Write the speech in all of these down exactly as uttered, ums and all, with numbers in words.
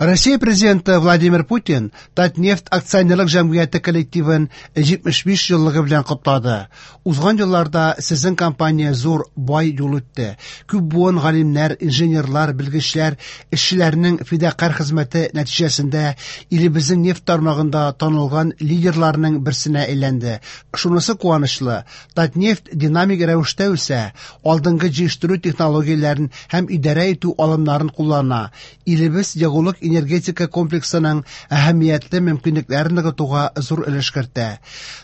Россия президенты Владимир Путин Татнефть акционерлык җәмгыяте коллективын җитмеш биш еллыгы белән котлады. Узган елларда сезнең компания зур, бай юл үтте. Күп буын галимнәр, инженерлар, белгечләр, эшчеләрнең фидакарь хезмәте нәтиҗәсендә илебезнең нефть тармагында танылган лидерларның берсенә әйләнде. Шунысы куанычлы, Татнефть динамик рәвештә үсә, алдынгы җитештерү технологияләрен һәм идарә итү алымнарын куллана. Илебез ягулык энергетика комплексының әһәмиятле мөмкинлекләрен ныгытуга зур өлеш кертә.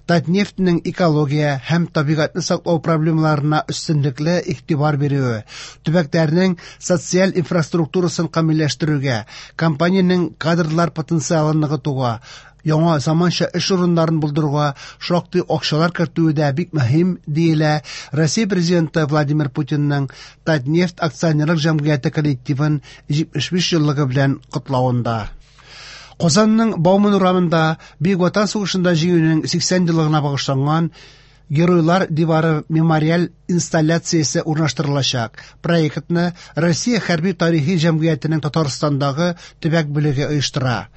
Татнефтьнең экология һәм табигатьне саклау проблемаларына өстенлекле игътибар бирүе, төбәкләрнең социаль инфраструктурасын камилләштерүгә, компаниянең кадрлар потенциалын ныгытуга, яңа заманча эш урыннарын булдыруга шактый акчалар кертүе дә бик мөһим, диелә Россия президенты Владимир Путинның Татнефть акционерлык җәмгыяте коллективын җитмеш биш еллыгы белән котлавында. Казанның Бауман урамында Бөек Ватан сугышында җиңүнең сиксән еллыгына багышланган Геройлар дивары мемориаль инсталляциясе урнаштырылачак. Проектны Россия хәрби тарихи җәмгыятенең Татарстандагы төбәк бүлеге оештыра.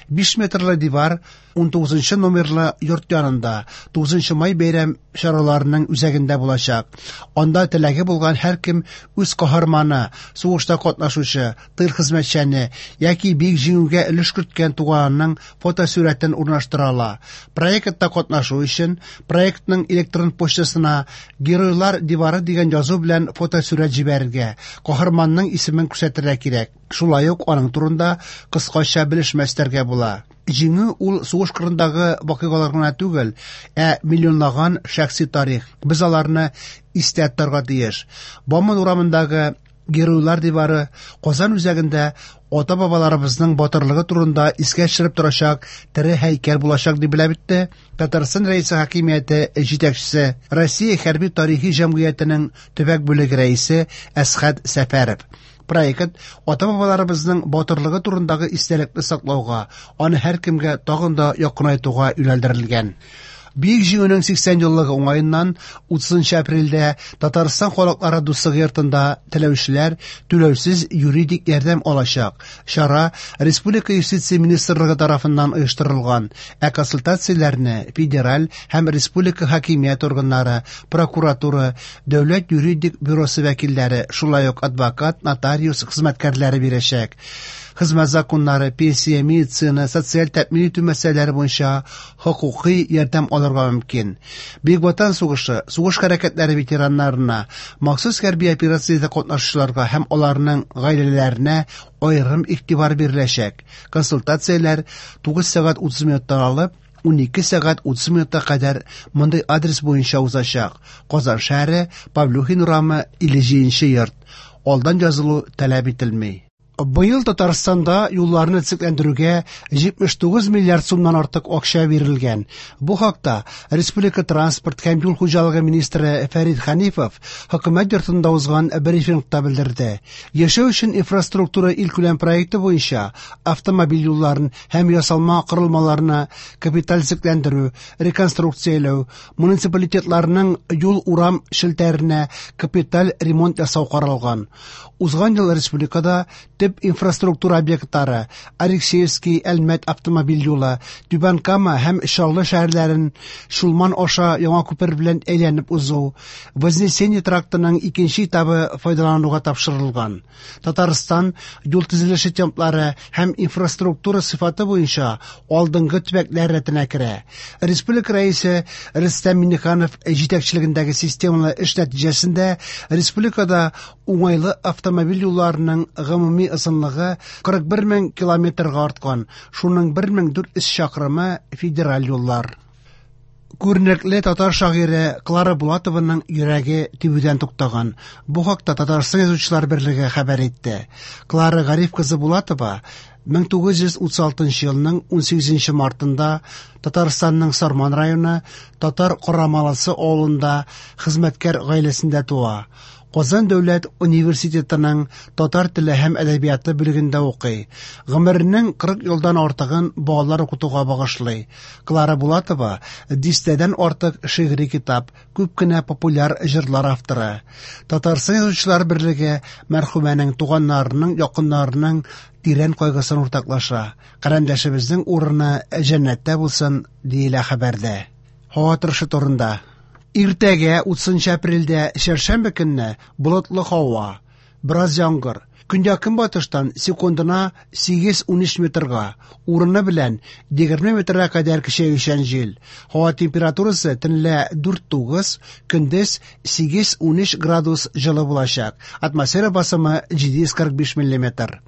Биш метрлы дивар ун тугызынчы номерлы йорт янында тугызынчы май бәйрәм чараларының үзәгендә булачак. Анда теләге булган һәркем үз каһарманы, сугышта катнашучы, тыл хезмәтчәне яки бөек җиңүгә өлеш керткән туганының фотосурәтен урнаштыра ала. Проектта катнашу өчен проектның электрон почтасына Геройлар дивары дигән язу белән фотосурәт җибәрергә, каһарманның исемен күрсәтергә кирәк. Шулай ук аның турында кыскача белешмә өстәргә була. Җиңү ул сугыш кырындагы вакыйгалар гына түгел, ә миллионлаган шәхси тарих. Без аларны истә тотарга тиеш. Бауман урамындагы Геройлар дивары Казан үзәгендә ата-бабаларыбызның батырлыгы турында искә төшереп торачак тере һәйкәл булачак дип белә битте Татарстан Рәисе хакимияте җитәкчесе, Россия хәрби тарихи җәмгыятенең төбәк бүлеге рәисе Әсхәт Сәфәров. Проект ата-бабаларыбызның батырлыгы турындагы истәлекне саклауга, аны һәркемгә тагын да якынайтуга юнәлдерелгән. Бөек Җиңүнең сиксән еллыгы уңаеннан утызынчы апрельдә Татарстан халыклары дуслыгы йортында теләүчеләр түләүсез юридик ярдәм алачак. Чара Республика юстиция министрлыгы тарафыннан оештырылган, ә консультацияләрне федераль һәм республика хакимият органнары, прокуратура, дәүләт юридик бюросы вәкилләре, шулай ук адвокат, нотариус хезмәткәрләре бирәчәк. Хезмәт законнары, пенсия, медицина, социаль тәэмин итү мәсьәләләре буенча хокукый ярдәм алырга мөмкин. Бөек Ватан сугышы, сугыш хәрәкәтләре ветераннарына, махсус хәрби операциядә катнашучыларга һәм аларның гаиләләренә аерым игътибар биреләчәк. Консультацияләр тугыз сәгать утыз минуттан алып ун ике сәгать утыз минутка кадәр мондый адрес буенча узачак. Казан шәһәре, Павлюхин урамы, илле җиденче йорт. Алдан язылу таләп ителми. Быел Татарстанда юлларны төзекләндерүгә җитмеш тугыз миллиард сумнан артык акча бирелгән. Бу хакта Республика транспорт һәм юл хуҗалыгы министры Фәрит Хәнифов хөкүмәт йортында узган брифингта белдерде. Яшәү өчен инфраструктура илкүләм проекты буенча автомобиль юлларын һәм ясалма корылмаларны капиталь төзекләндерү, реконструкцияләү, муниципалитетларның юл-урам челтәренә капиталь ремонт ясау каралган. Узган ел республикада төп инфраструктура объектлары Алексеевский, Әлмәт автомобиль юлы, Түбән Кама һәм Чаллы шәһәрләрен Чулман аша яңа күпер белән әйләнеп узу, Вознесение трактының икенче этабы файдалануга тапшырылган. Татарстан юл төзелеше темплары һәм инфраструктура сыйфаты буенча алдынгы төбәкләр рәтенә керә. Республика рәисе Рөстәм Миңнеханов җитәкчелегендәге системалы эш нәтиҗәсендә республикада уңайлы автомобиль юлларының гомуми озынлыгы кырык бер мең километрга арткан, шуның бер мең дүрт йөз чакрымы федераль юллар. Күренекле татар шагыйре Клара Булатованың йөрәге тибүдән туктаган. Бу хакта Татарстан Язучылар берлеге хәбәр итте. Клара Гариф кызы Булатова мең тугыз йөз утыз алтынчы елның ун сигезенче мартында Татарстанның Сарман районы Татар Карамалысы авылында хезмәткәр гаиләсендә туа. Казан дәүләт университетының татар теле һәм әдәбияты бүлегендә укый. Гомеренең кырык елдан артыгын балалар укытуга багышлый. Клара Булатова дистәдән артык шигъри китап, күп кенә популяр җырлар авторы. Татарстан Язучылар берлеге мәрхүмәнең туганнарының, якыннарының тирән кайгысын уртаклаша. Карендәшебезнең урыны җәннәттә булсын, диелә хәбәрдә. Һава торышы турында. Иртәгә утызынчы апрельдә чәршәмбе көнне болытлы һава, бераз яңгыр. Көньяк-көнбатыштан секундына сигез-унөч метрга, урыны белән егерме метрга кадәр көчәючән җил. Һава температурасы төнлә дүрт-тугыз, көндез сигез-унөч градус җылы булачак. Атмосфера басымы җиде йөз кырык биш миллиметр.